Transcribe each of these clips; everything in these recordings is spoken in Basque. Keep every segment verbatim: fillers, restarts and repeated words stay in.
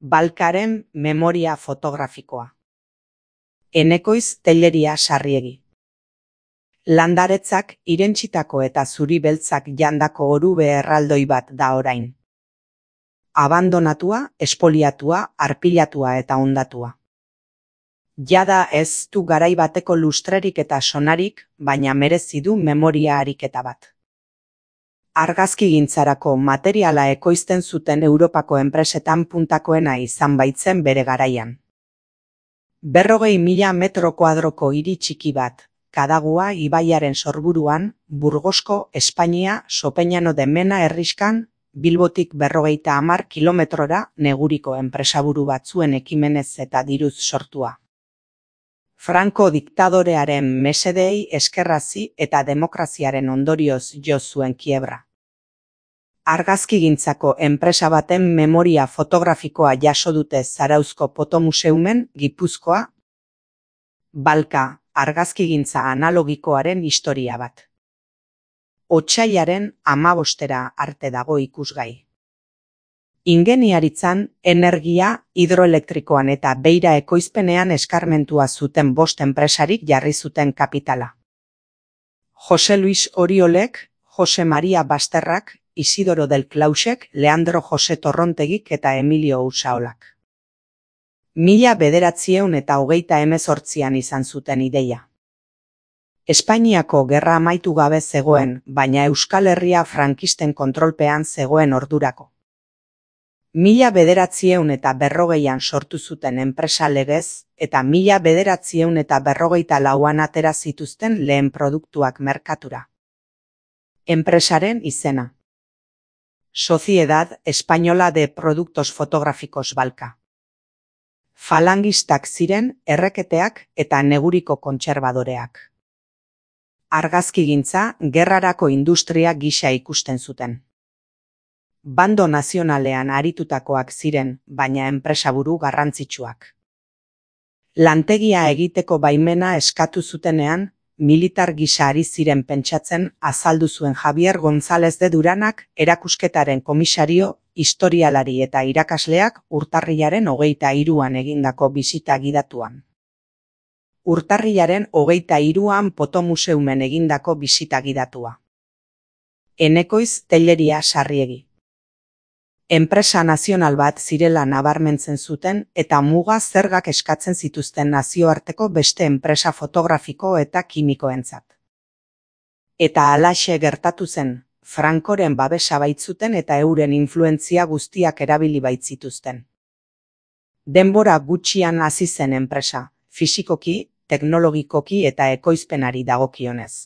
Balkaren memoria fotografikoa. Enekoiz Telleria Sarriegi. Landaretzak irentsitako eta zuri beltzak jandako orube erraldoi bat da orain. Abandonatua, espoliatua, arpilatua eta hondatua. Jada ez du garai bateko lustrerik eta sonarik, baina merezi du memoria ariketa bat. Argazkigintzarako materiala ekoizten zuten Europako enpresetan puntakoena izan baitzen bere garaian. Berrogei mila metro kuadroko hiri txiki bat, Kadagua ibaiaren sorburuan, Burgosko, Espainia, Sopeñano de Mena herriskan, Bilbotik berrogeita hamar kilometrora neguriko enpresaburu batzuen ekimenez eta diruz sortua. Franco diktadorearen mesedei eskerrazi eta demokraziaren ondorioz jo zuen kiebra. Argazkigintzako enpresa baten memoria fotografikoa jaso dute Zarauzko Fotomuseumen, Gipuzkoa. Balka, argazkigintza analogikoaren historia bat. Otsailaren hamabostera arte dago ikusgai. Ingeniaritzan, energia, hidroelektrikoan eta beira ekoizpenean eskarmentua zuten bost enpresarik jarri zuten kapitala. Jose Luis Oriolek, Jose Maria Basterrak, Isidoro del Clausek, Leandro Jose Torrontegik eta Emilio Usaolak. Mila bederatzieun eta hogeita hemezortzian izan zuten ideia. Espainiako gerra amaitu gabe zegoen, baina Euskal Herria frankisten kontrolpean zegoen ordurako. Mila bederatzieun eta berrogeian sortu zuten enpresa legez, eta mila bederatzieun eta berrogeita lauan atera zituzten lehen produktuak merkatura. Enpresaren izena. Sociedad Española de Productos Fotográficos Balka. Falangistak ziren erreketeak eta neguriko kontserbadoreak. Argazkigintza gerrarako industria gisa ikusten zuten. Bando nazionalean aritutakoak ziren, baina enpresaburu garrantzitsuak. Lantegia egiteko baimena eskatu zutenean, militar gisa ari ziren pentsatzen azaldu zuen Javier González de Duranak erakusketaren komisario, historialari eta irakasleak urtarrilaren hogeita hiruan egindako bisita gidatuan. Urtarrilaren hogeita hiruan Fotomuseumen egindako bisita gidatua. Enekoiz Telleria Sarriegi. Enpresa nazional bat zirela nabarmentzen zuten eta muga zergak eskatzen zituzten nazioarteko beste enpresa fotografiko eta kimikoentzat. Eta halaxe gertatu zen, Francoren babesa baitzuten eta euren influentzia guztiak erabili baitzituzten. Denbora gutxian hasi zen enpresa, fisikoki, teknologikoki eta ekoizpenari dagokionez.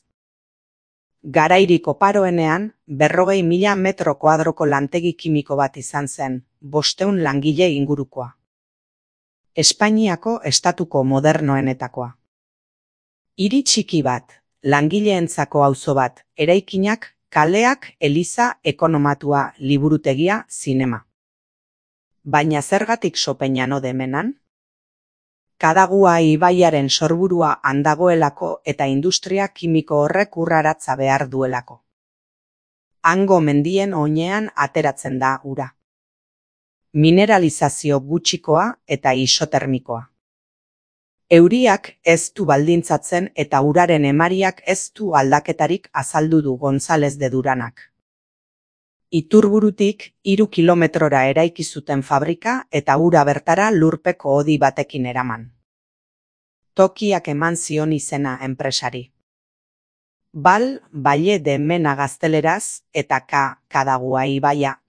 Garairik oparoenean, berrogei mila metro kuadroko lantegi kimiko bat izan zen, bosteun langile ingurukoa. Espainiako estatuko modernoenetakoa. Hiri txiki bat, langileentzako auzo bat, eraikinak, kaleak, eliza, ekonomatua, liburutegia, zinema. Baina zergatik Sopeñano de Menan? Kadagua ibaiaren sorburua handagoelako eta industria kimiko horrek urraratza behar duelako. Hango mendien oinean ateratzen da ura. Mineralizazio gutxikoa eta isotermikoa. Euriak ez du baldintzatzen eta uraren emariak ez du aldaketarik azaldu du González de Duranak. Iturburutik hiru kilometrora eraiki zuten fabrika eta ura bertara lurpeko hodi batekin eraman. Tokiak eman zion izena enpresari. Bal, Valle de Mena gazteleraz eta K, Kadagua ibaia.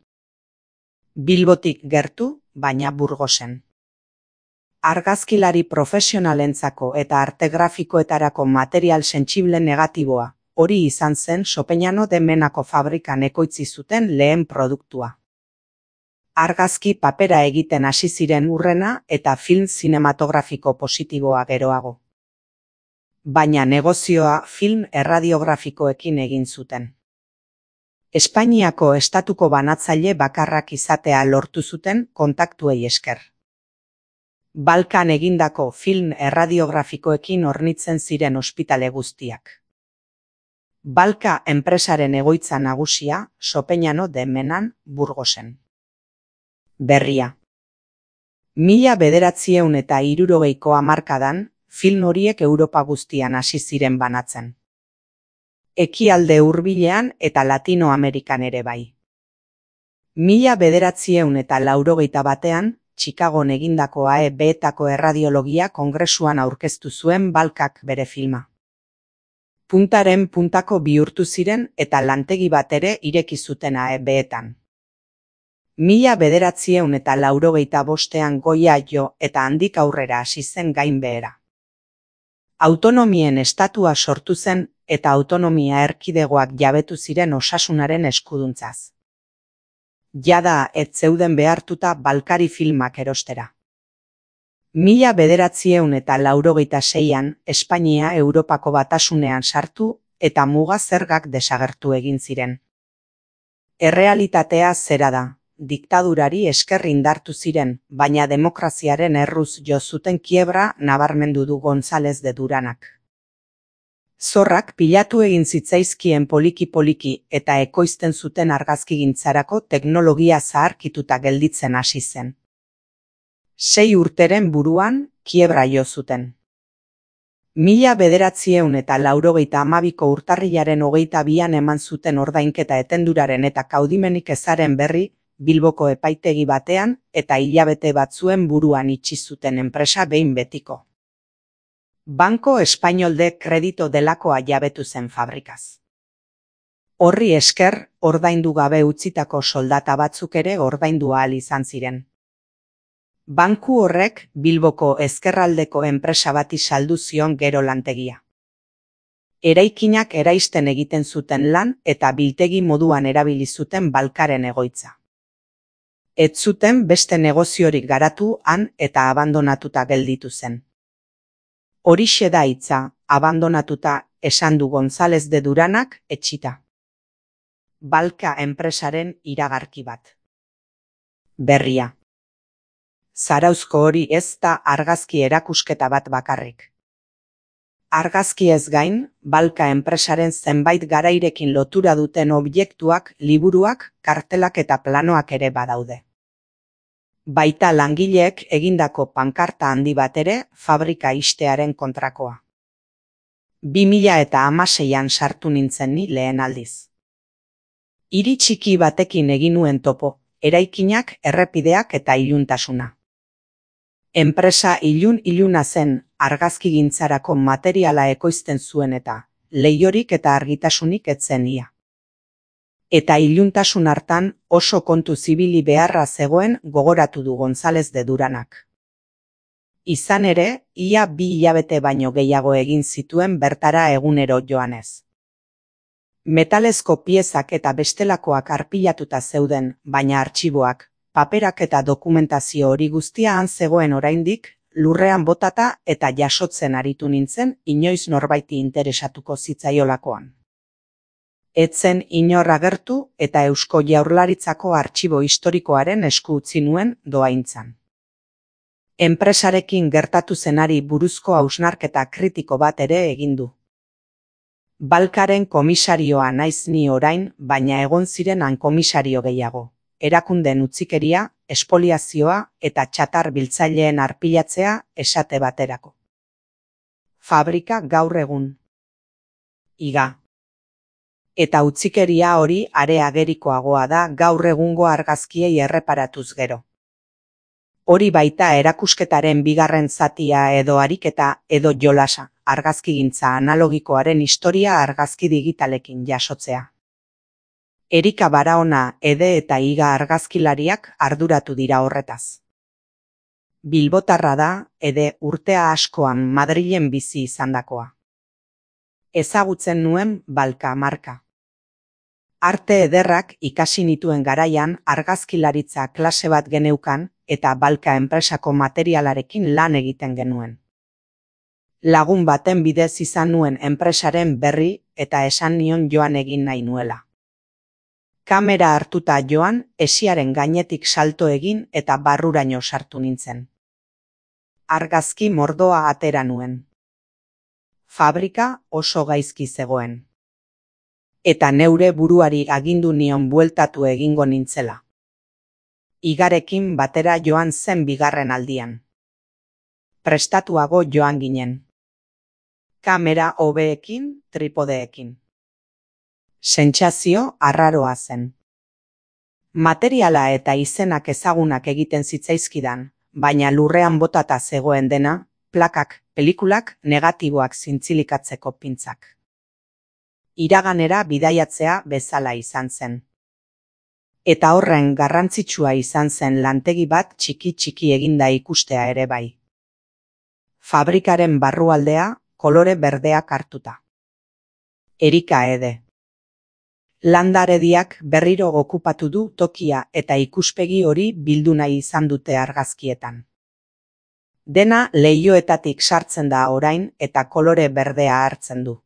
Bilbotik gertu, baina Burgosen. Argazkilari profesionalentzako eta arte grafikoetarako material sentsible negatiboa. Hori izan zen Sopeñano de Menako fabrikan ekoitzi zuten lehen produktua. Argazki papera egiten hasi ziren hurrena eta film zinematografiko positiboa geroago. Baina negozioa film erradiografikoekin egin zuten. Espainiako estatuko banatzaile bakarrak izatea lortu zuten kontaktuei esker. Balkan egindako film erradiografikoekin hornitzen ziren ospitale guztiak. Balka enpresaren egoitza nagusia, Sopeñano de Menan, Burgosen. Berria. Mila bederatziehun eta hirurogeiko hamarkadan, film horiek Europa guztian hasi ziren banatzen. Ekialde hurbilean eta Latinoamerikan ere bai. Mila bederatziehun eta laurogeita batean, Chicagon egindako A E B-etako erradiologia kongresuan aurkeztu zuen Balkak bere filma. Puntaren puntako bihurtu ziren eta lantegi bat ere ireki zuten A E B-etan. Mila bederatziehun eta laurogeita bostean goia jo eta handik aurrera hasi zen gainbehera. Autonomien estatua sortu zen eta autonomia erkidegoak jabetu ziren osasunaren eskuduntzaz. Jada ez zeuden behartuta Balkari filmak erostera. Mila bederatziehun eta laurogeita seian Espainia Europako Batasunean sartu eta muga zergak desagertu egin ziren. Errealitatea zera da, diktadurari esker indartu ziren, baina demokraziaren erruz jo zuten kiebra nabarmendu du González de Duranak. Zorrak pilatu egin zitzaizkien poliki-poliki eta ekoizten zuten argazkigintzarako teknologia zaharkituta gelditzen hasi zen. Sei urteren buruan, kiebra jo zuten. Mila bederatziehun eta laurogeita hamabiko urtarrilaren hogeita bian eman zuten ordainketa etenduraren eta kaudimenik ezaren berri, Bilboko epaitegi batean eta hilabete batzuen buruan itxi zuten enpresa behin betiko. Banco Español de Crédito delakoa jabetu zen fabrikaz. Horri esker, ordaindu gabe utzitako soldata batzuk ere ordaindu ahal izan ziren. Banku horrek Bilboko ezkerraldeko enpresa bati saldu zion gero lantegia. Eraikinak eraisten egiten zuten lan eta biltegi moduan erabili zuten Balkaren egoitza. Ez zuten beste negoziorik garatu han eta abandonatuta gelditu zen. Horixe da hitza, abandonatuta, esan du González de Duranak etxita. Balka enpresaren iragarki bat. Berria. Zarauzko hori ez da argazki erakusketa bat bakarrik. Argazki ez gain, Balka enpresaren zenbait garairekin lotura duten objektuak, liburuak, kartelak eta planoak ere badaude. Baita langileek egindako pankarta handi bat ere fabrika ixtearen kontrakoa. Bi mila eta hamaseian sartu nintzen ni lehen aldiz. Hiri txiki batekin egin nuen topo, eraikinak, errepideak eta iluntasuna. Enpresa ilun-iluna zen, argazkigintzarako materiala ekoizten zuen eta leihorik eta argitasunik ez zen ia. Eta iluntasun hartan oso kontu zibili beharra zegoen gogoratu du González de Duranak. Izan ere, ia bi hilabete baino gehiago egin zituen bertara egunero joanez. Metalezko piezak eta bestelakoak arpilatuta zeuden, baina artxiboak, paperak eta dokumentazio hori guztia han zegoen oraindik, lurrean botata eta jasotzen aritu nintzen inoiz norbaiti interesatuko zitzaiolakoan. Etzen inor agertu eta Eusko Jaurlaritzako artxibo historikoaren esku utzi nuen dohaintzan. Enpresarekin gertatu zenari buruzko hausnarketa kritiko bat ere egin du. Balkaren komisarioa naiz ni orain, baina egon ziren han komisario gehiago. Erakunden utzikeria, espoliazioa eta txatar biltzaileen arpilatzea esate baterako. Fabrika gaur egun. Iga. Eta utzikeria hori are agerikoagoa da gaur egungo argazkiei erreparatuz gero. Hori baita erakusketaren bigarren zatia edo ariketa edo jolasa, argazkigintza analogikoaren historia argazki digitalekin jasotzea. Erika Baraona, Ede eta Iga argazkilariak arduratu dira horretaz. Bilbotarra da, Ede urtea askoan Madrilen bizi izandakoa. Ezagutzen nuen Balka marka. Arte ederrak ikasi nituen garaian argazkilaritza klase bat geneukan eta Balka enpresako materialarekin lan egiten genuen. Lagun baten bidez izan nuen enpresaren berri eta esan nion joan egin nahi nuela. Kamera hartuta joan, esiaren gainetik salto egin eta barruraino sartu nintzen. Argazki mordoa atera nuen. Fabrika oso gaizki zegoen. Eta neure buruari agindu nion bueltatu egingo nintzela. Igarekin batera joan zen bigarren aldian. Prestatuago joan ginen. Kamera hobeekin, tripodeekin. Sentsazio arraroa zen. Materiala eta izenak ezagunak egiten zitzaizkidan, baina lurrean botata zegoen dena, plakak, pelikulak, negatiboak zintzilikatzeko pintzak. Iraganera bidaiatzea bezala izan zen. Eta horren garrantzitsua izan zen lantegi bat txiki-txiki eginda ikustea ere bai. Fabrikaren barrualdea kolore berdeak hartuta. Erika Ede. Landarediak berriro okupatu du tokia eta ikuspegi hori bildu nahi izan dute argazkietan. Dena leihoetatik sartzen da orain eta kolore berdea hartzen du.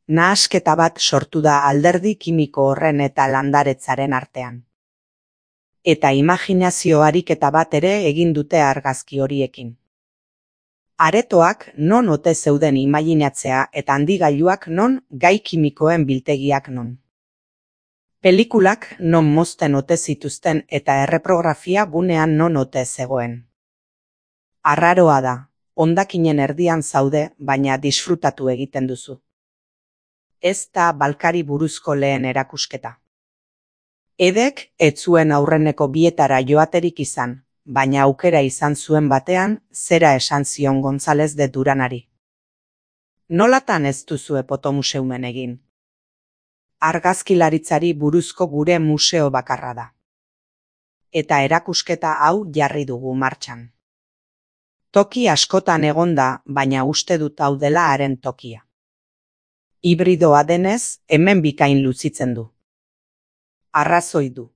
Nahasketa bat sortu da alderdi kimiko horren eta landaretzaren artean. Eta imaginazio ariketa bat ere egin dute argazki horiekin. Aretoak non ote zeuden imaginatzea eta handigailuak non, gai kimikoen biltegiak non. Pelikulak non mozten ote zituzten eta erreprografia gunean non ote zegoen. Arraroa da, hondakinen erdian zaude, baina disfrutatu egiten duzu. Ez da Balkari buruzko lehen erakusketa. Edek ez zuen aurreneko bietara joaterik izan, baina aukera izan zuen batean, zera esan zion González de Duranari. Nolatan ez duzue fotomuseumen egin? Argazkilaritzari buruzko gure museo bakarra da. Eta erakusketa hau jarri dugu martxan. Toki askotan egonda, baina uste dut hau dela haren tokia. Hibridoa denez, hemen bikain luzitzen du. Arrazoi du.